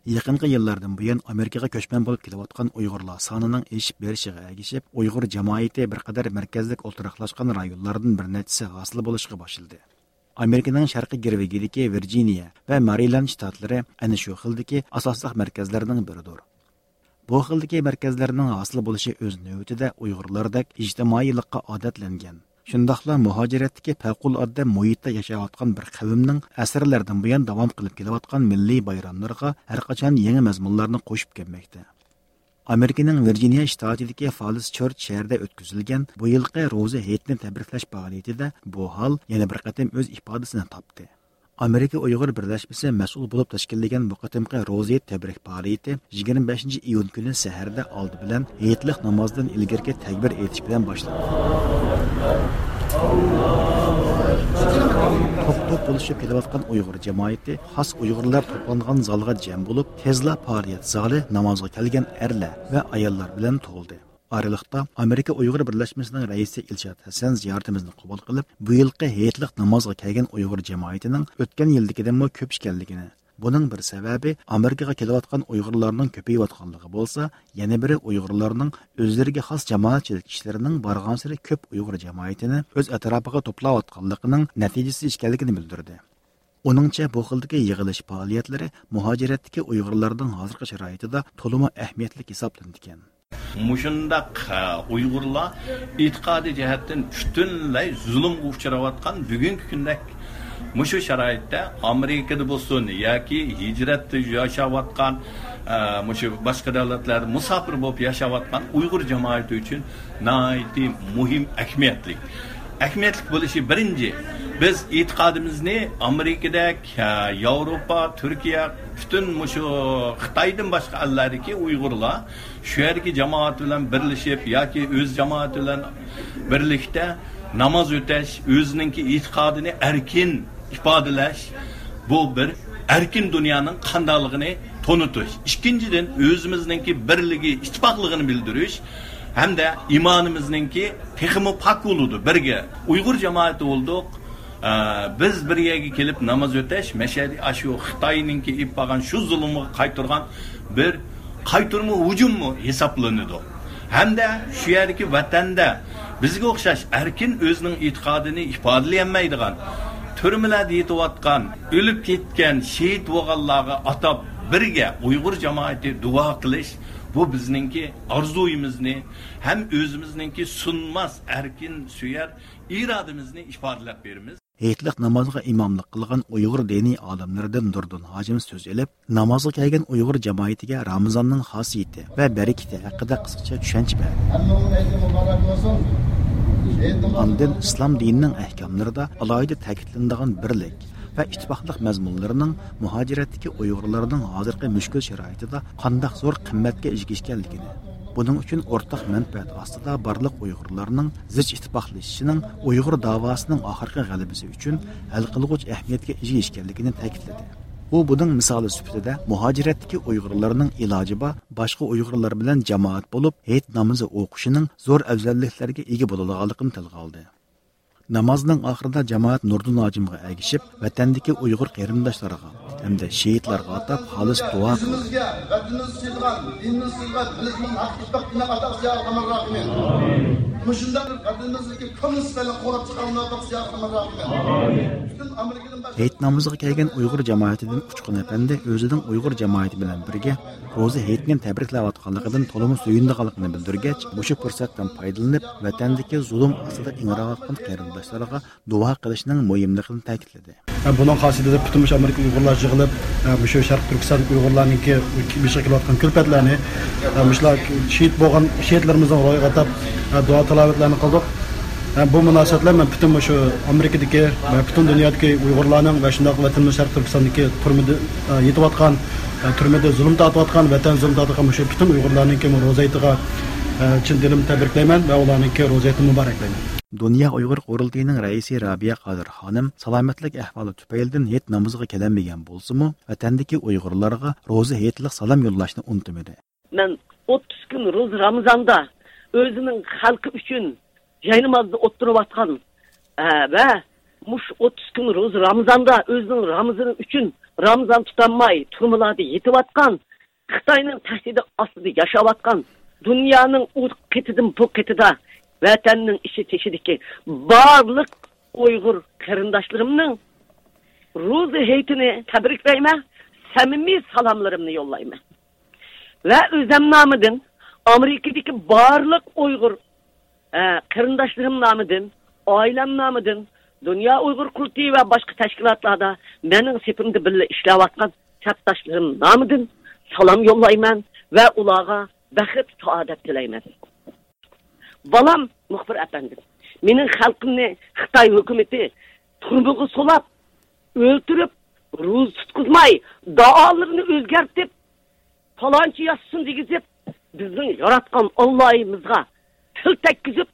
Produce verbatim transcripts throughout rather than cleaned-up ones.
يېقىنقى يىللاردىن بۇيان ئامېرىكىغا كۆچمەن بولۇپ كېلىۋاتقان ئۇيغۇرلار سانىنىڭ ئېشىپ بېرىشىغا ئەگىشىپ، ئۇيغۇر جامائىتى بىر قەدەر مەركەزلىك ئولتۇراقلاشقان رايونلاردىن بىر نەچچىسى ھاسىل بولۇشقا باشلىدى. ئامېرىكىنىڭ شەرقىي گىرۋىكىدىكى ۋىرجىنىيە ۋە مارىلاند شتاتلىرى ئەنە شۇ خىلدىكى ئاساسلىق مەركەزلەرنىڭ بىرىدۇر. بۇ خىلدىكى مەركەزلەرنىڭ ھاسىل بولۇشى ئۆز نۆۋىتىدە ئۇيغۇرلاردەك ئىجتىمائىيلىققا ئادەتلەنگەن، شۇنداقلا مۇھاجىرەتتىكى پەۋقۇلئاددە مۇھىتتا ياشاۋاتقان بىر قەۋمنىڭ ئەسىرلەردىن بۇيان داۋام قىلىپ كېلىۋاتقان مىللىي بايراملىرىغا ھەرقاچان يېڭى مەزمۇنلارنى قوشۇپ كەلمەكتە. ئامېرىكىنىڭ ۋىرجىنىيە شتاتىدىكى فالس چېرچ شەھىرىدە ئۆتكۈزۈلگەن بۇ يىلقى روزا ھېيتنى تەبرىكلەش پائالىيىتىدە بۇ ھال يەنە بىر قېتىم ئۆز ئىپادىسىنى تاپتى. ئامېرىكا ئۇيغۇر بىرلەشمىسى مەسئۇل بولۇپ تەشكىللىگەن بۇ قېتىمقى روزا ھېيت تەبرىك پائالىيىتى يىگىرمە بەشىنچى ئىيۇن كۈنى سەھەردە ئالدى بىلەن ھېيتلىق نامازدىن ئىلگىرىكى تەكبىر ئېيتىش بىلەن باشلاندى. توپ-توپ بولۇشۇپ كېلىۋاتقان ئۇيغۇر جامائىتى خاس ئۇيغۇرلار توپلانغان زالغا جەم بولۇپ، تېزلا پائالىيەت زالى نامازغا كەلگەن ئەرلەر ۋە ئاياللار بىلەن تولدى. ئارىلىقتا ئامېرىكا ئۇيغۇر بىرلەشمىسىنىڭ رەئىسى ئىلشات ھەسەن زىيارىتىمىزنى قوبۇل قىلىپ، بۇ يىلقى ھېيتلىق نامازغا كەلگەن ئۇيغۇر جامائىتىنىڭ ئۆتكەن يىلدىكىدىنمۇ كۆپ ئىكەنلىكىنى، بۇنىڭ بىر سەۋەبى ئامېرىكىغا كېلىۋاتقان ئۇيغۇرلارنىڭ كۆپىيىۋاتقانلىقى بولسا، يەنە بىرى ئۇيغۇرلارنىڭ ئۆزلىرىگە خاس جامائەتچىلىك ئىشلىرىنىڭ بارغانسېرى كۆپ ئۇيغۇر جامائىتىنى ئۆز ئەتراپىغا توپلاۋاتقانلىقىنىڭ نەتىجىسى ئىكەنلىكىنى بىلدۈردى. ئۇنىڭچە، بۇ خىلدىكى يىغىلىش پائالىيەتلىرى مۇھاجىرەتتىكى ئۇيغۇرلارنىڭ ھازىرقى شارائىتىدا تولىمۇ ئەھمىيەتلىك ھېسابلىنىدىكەن. مۇشۇنداق، ئە، ئۇيغۇرلار ئېتىقادىي جەھەتتىن پۈتۈنلەي زۇلۇمغا ئۇچراۋاتقان بۈگۈنكى كۈندەك مۇشۇ شارائىتتا ئامېرىكىدا بولسۇن ياكى ھىجرەتتە ياشاۋاتقان، ئە، مۇشۇ باشقا دۆلەتلەردە مۇساپىر بولۇپ ياشاۋاتقان ئۇيغۇر جامائىتى ئۈچۈن ناھايىتى مۇھىم، ئەھمىيەتلىك. ئەھمىيەتلىك بولۇشى بىرىنچى، بىز ئېتىقادىمىزنى ئامېرىكىدەك، ئە، ياۋروپا، تۈركىيە، پۈتۈن مۇشۇ خىتايدىن باشقا ئەللەردىكى ئۇيغۇرلار شۇ يەردىكى جامائەت بىلەن بىرلىشىپ ياكى ئۆز جامائىتى بىلەن بىرلىكتە ناماز ئۆتەش، ئۆزىنىڭكى ئېتىقادىنى ئەركىن ئىپادىلەش، بۇ بىر ئەركىن دۇنيانىڭ قانداقلىقىنى تونۇتۇش. ئىككىنچىدىن، ئۆزىمىزنىڭكى بىرلىكى، ئىتتىپاقلىقىنى بىلدۈرۈش ھەمدە ئىمانىمىزنىڭكى تېخىمۇ پاك بولىدۇ. بىرگە ئۇيغۇر جامائىتى بولدۇق. ئە، بىز بىر يەرگە كېلىپ ناماز ئۆتەش، مەشەدە ئاشۇ خىتاينىڭكى ئېلىپ بارغان شۇ زۇلۇمغا قايتۇرغان بىر قايتۇرما ھۇجۇممۇ ھېسابلىنىدۇ. ھەمدە شۇ يەردىكى ۋەتەندە بىزگە ئوخشاش ئەركىن ئۆزىنىڭ ئېتىقادىنى ئىپادىلىيەلمەيدىغان، تۈرمىلەردە يېتىۋاتقان، ئۆلۈپ كەتكەن، شېھىت بولغانلارغا ئاتاپ بىرگە ئۇيغۇر جامائىتى دۇئا قىلىش، بۇ بىزنىڭكى ئارزۇيىمىزنى ھەم ئۆزىمىزنىڭكى سۇنماس ئەركىن سۆيەر ئىرادىمىزنى ئىپادىلەپ بېرىمىز. ھېيتلىق نامازغا ئىماملىق قىلغان ئۇيغۇر دىنىي ئالىملىرىدىن نۇردىن ھاجىم سۆز ئېلىپ، نامازغا كەلگەن ئۇيغۇر جامائىتىگە رامىزاننىڭ خاسىيىتى ۋە بەرىكىتى ھەققىدە قىسقىچە چۈشەنچە بەردى. ئاندىن ئىسلام دىنىنىڭ ئەھكاملىرىدا ئالاھىدە تەكىتلىنىدىغان بىرلىك ۋە ئىتتىپاقلىق مەزمۇنلىرىنىڭ مۇھاجىرەتتىكى ئۇيغۇرلارنىڭ ھازىرقى مۈشكۈل شارائىتىدا قانداق زور قىممەتكە ئىگە ئىكەنلىكىنى، بۇنىڭ ئۈچۈن ئورتاق مەنپەئەت ئاستىدا بارلىق ئۇيغۇرلارنىڭ زىچ ئىتتىپاقلىشىشىنىڭ ئۇيغۇر داۋاسىنىڭ ئاخىرقى غەلىبىسى ئۈچۈن ھەل قىلغۇچ ئەھمىيەتكە ئىگە ئىكەنلىكىنى تەكىتلىدى. ئۇ بۇنىڭ مىسالى سۈپىتىدە مۇھاجىرەتتىكى ئۇيغۇرلارنىڭ ئىلاجى بار باشقا ئۇيغۇرلار بىلەن جامائەت بولۇپ ھېيت نامىزى ئوقۇشىنىڭ زور ئەۋزەللىكلەرگە ئىگە بولىدىغانلىقىنى تىلغا ئالدى. نامازنىڭ ئاخىرىدا جامائەت نۇردىن ھاجىمغا ئەگىشىپ، ۋەتەندىكى ئۇيغۇر قېرىنداشلارغا ھەمدە شېھىتلارغا ئاتاپ خالىس دۇئا قىلدى. ئۆزىمىزگە، ۋەتىنىمىزنى سۆيىدىغان، دىنىمىزنى سۆيىدىغان، مىللىتىمىزنى ھەق ئىتتىپاق دىنىغا ئاتاق يا ئەرھەمەر راھىمىن. مۇشۇنداق بىر ۋەتىنىمىزدىكى كۆڭۈل سىزلارنى قوغلاپ چىقالمايۋاتقان يا ئەرھەمەر راھىمىن. پۈتۈن ئامېرىكىدىن باشلاپ ھېيت نامىزىغا كەلگەن ئۇيغۇر جامائىتىدىن ئۇچقۇن ئەپەندى ئۆزىنىڭ ئۇيغۇر جامائىتى بىلەن بىرگە روزا ھېيتنى تەبرىكلەۋاتقانلىقىدىن تولىمۇ سۆيۈنىدىغانلىقىنى بىلدۈرگەچ، مۇشۇ پۇرسەتتىن پايدىلىنىپ، ۋەتەندىكى زۇلۇم ئاستىدا ئىڭراۋاتقان قېرىنداشلارغا دۇئا قىلىشنىڭ مۇھىملىقىنى تەكىتلىدى. بۇنىڭ خاسىيىتىدە پۈتۈن مۇشۇ ئامېرىكا ئۇيغۇرلار يىغىلىپ، مۇشۇ شەرقىي تۈركىستان ئۇيغۇرلارنىڭكى بېشىغا كېلىۋاتقان كۈلپەتلەرنى، مۇشۇلار شېھىت بولغان شېھىتلىرىمىزنىڭ روھىغا ئاتاپ، دۇئا تىلاۋەتلەرنى قىلدۇق. بۇ مۇناسىۋەت بىلەن مەن پۈتۈن مۇشۇ ئامېرىكىدىكى ۋە پۈتۈن دۇنيادىكى ئۇيغۇرلارنىڭ ۋە شۇنداق ۋەتىنىمىز شەرقىي تۈركىستاندىكى تۈرمىدە، يېتىۋاتقان، تۈرمىدە زۇلۇم تارتىۋاتقان، ۋەتەن زۇلۇم تارتىۋاتقان مۇشۇ پۈتۈن ئۇيغۇرلارنىڭكى روزا ھېيتىغا، چىن دىلىمدىن تەبرىكلەيمەن ۋە ئۇلارنىڭكى روزا ھېيتىنى مۇبارەكلەيمەن. دۇنيا ئۇيغۇر قۇرۇلتىيىنىڭ رەئىسى رابىيە قادىر خانىم سالامەتلىك ئەھۋالى تۈپەيلىدىن ھېيت نامىزىغا كېلەلمىگەن بولسىمۇ، ۋەتەندىكى ئۇيغۇرلارغا روزا ھېيتلىق سالام يوللاشنى ئۇنتۇمىدى. مەن ئوتتۇز كۈن روزا رامىزاندا ئۆزىنىڭ خەلقى ئۈچۈن جاينامازدا ئولتۇرۇۋاتقان، ئە، ۋە مۇشۇ ئوتتۇز كۈن روزا رامىزاندا ئۆزىنىڭ رامىزىنى ئۈچۈن رامىزان تۇتالماي تۈرمىلەردە يېتىۋاتقان، خىتاينىڭ تەھدىتى ئاستىدا ياشاۋاتقان، دۇنيانىڭ ئۇ قېتىدىن بۇ قېتىدا ۋەتەننىڭ ئىچى تېشىدىكى بارلىق ئۇيغۇر قېرىنداشلىرىمنىڭ روزا ھېيتىنى تەبرىكلەيمەن، سەمىمىي سالاملىرىمنى يوللايمەن. ۋە ئۆزەم نامىدىن، ئامېرىكىدىكى بارلىق ئۇيغۇر، ئە، قېرىنداشلىرىم نامىدىن، ئائىلەم نامىدىن، دۇنيا ئۇيغۇر قۇرۇلتىيى ۋە باشقا تەشكىلاتلاردا مېنىڭ سېپىمدە بىللە ئىشلەۋاتقان سەپداشلىرىم نامىدىن سالام يوللايمەن ۋە ئۇلارغا بەخت، سائادەت تىلەيمەن. بالام، مۇخبىر ئەپەندىم، مېنىڭ خەلقىمنى خىتاي ھۆكۈمىتى تۈرمىگە سولاپ، ئۆلتۈرۈپ، روزا تۇتقۇزماي، دائالىرىنى ئۆزگەرتىپ، پالانچى ياشىسۇن دېگۈزۈپ، بىزنىڭ ياراتقان ئاللايىمىزغا تىل تەگكۈزۈپ،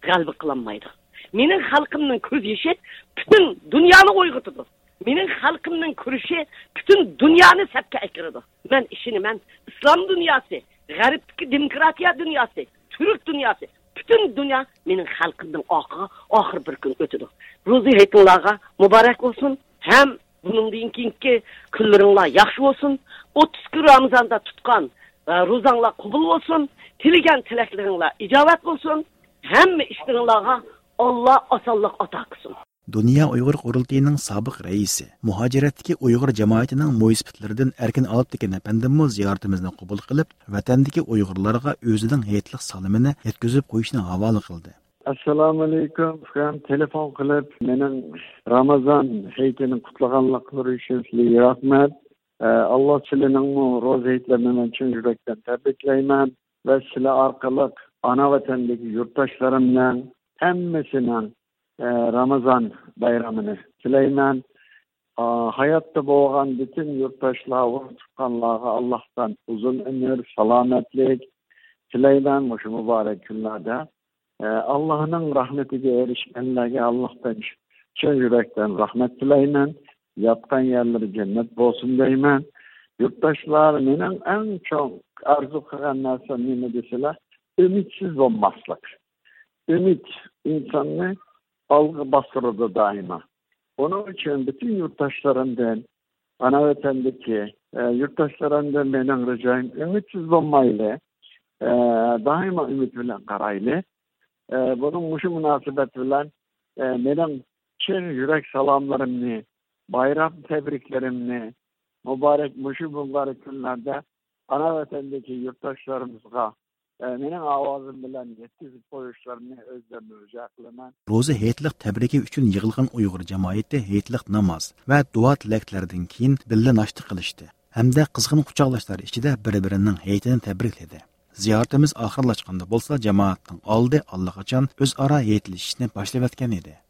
غەلىبە قىلالمايدۇ. مېنىڭ خەلقىمنىڭ كۆز يېشى پۈتۈن دۇنيانى ئويغىتىدۇ. مېنىڭ خەلقىمنىڭ كۈرىشى پۈتۈن دۇنيانى سەپكە ئەكىرىدۇ. مەن ئىشىنىمەن، ئىسلام دۇنياسى، غەربتىكى دېموكراتىيە دۇنياسى، تۈرك دۇنياسى، پۈتۈن دۇنيا مېنىڭ خەلقىمنىڭ ئارقىغا ئاخىر بىر كۈن ئۆتىدۇ. روزا ھېيتىڭلارغا مۇبارەك بولسۇن ھەم بۇنىڭدىن كېيىنكى كۈنلىرىڭلار ياخشى بولسۇن. ئوتتۇز كۈن رامىزاندا تۇتقان، ئە، روزاڭلار قوبۇل بولسۇن. تىلىگەن تىلەكلىرىڭلار ئىجابەت بولسۇن. ھەممە ئىشلىرىڭلارغا ئاللا ئاسانلىق ئاتا قىلسۇن. دۇنيا ئۇيغۇر قۇرۇلتىيىنىڭ سابىق رەئىسى، مۇھاجىرەتتىكى ئۇيغۇر جامائىتىنىڭ مويسىپىتلىرىدىن ئەركىن ئالپتېكىن ئەپەندىممۇ زىيارىتىمىزنى قوبۇل قىلىپ، ۋەتەندىكى ئۇيغۇرلارغا ئۆزىنىڭ ھېيتلىق سالىمىنى يەتكۈزۈپ قويۇشنى ھاۋالە قىلدى. ئەسسالامۇئەلەيكۇم، ئۇكام. تېلېفون قىلىپ، مېنىڭ رامازان ھېيتىنى قۇتلىغانلىقلىرى ئۈچۈن سىلەرگە رەھمەت. ئە، ئاللا سىلەرنىڭمۇ روزا ھېيتلىرىنى مەن چىن يۈرەكتىن تەبرىكلەيمەن ۋە سىلەر ئارقىلىق ئانا ۋەتەندىكى يۇرتداشلىرىمنىڭ ھەممىسىنىڭ، ئە، رامازان بايرىمىنى تىلەيمەن. ئا، ھاياتتا بولغان پۈتۈن يۇرتداشلار، ئۇرۇق تۇغقانلارغا ئاللاھتىن ئۇزۇن ئۆمۈر، سالامەتلىك تىلەيمەن. مۇشۇ مۇبارەك كۈنلەردە، ئە، ئاللاھنىڭ رەھمىتىگە ئېرىشكەنلەرگە ئاللاھتىن چىن يۈرەكتىن رەھمەت تىلەيمەن. ياتقان يەرلىرى جەننەت بولسۇن دەيمەن. يۇرتداشلار، مېنىڭ ئەڭ چوڭ ئارزۇ قىلغان نەرسەم نېمە دېسىلە، ئۈمىدسىز بولماسلىق. ئۈمىد ئىنساننى ئالغا باستۇرىدۇ دائىما. ئۇنىڭ ئۈچۈن پۈتۈن يۇرتداشلىرىمدىن، ئانا ۋەتەندىكى، ئە، يۇرتداشلىرىمدىن مېنىڭ رىجايىم، ئۈمىدسىز بولمايلى. ئە، دائىما ئۈمىد بىلەن قارايلى. ئە، بۇنىڭ، مۇشۇ مۇناسىۋەت بىلەن، ئە، مېنىڭ چىن يۈرەك سالاملىرىمنى، بايرام تەبرىكلىرىمنى، مۇبارەك، مۇشۇ مۇبارەك كۈنلەردە ئانا ۋەتەندىكى يۇرتداشلىرىمىزغا، ئە، مېنىڭ ئاۋازىم بىلەن يەتكۈزۈپ قويۇشلىرىنى ئۆزلىرىدىن رىجا قىلىمەن. روزا ھېيتلىق تەبرىكى ئۈچۈن يىغىلغان ئۇيغۇر جامائىتى ھېيتلىق ناماز ۋە دۇئا تىلەكلەردىن كېيىن بىللە ناشتا قىلىشتى ھەمدە قىزغىن قۇچاقلاشلار ئىچىدە بىر-بىرىنىڭ ھېيتىنى تەبرىكلىدى. زىيارىتىمىز ئاخىرلاشقاندا بولسا، جامائەتنىڭ ئالدى ئاللىقاچان ئۆزئارا ھېيتلىشىشنى باشلىۋەتكەن ئىدى.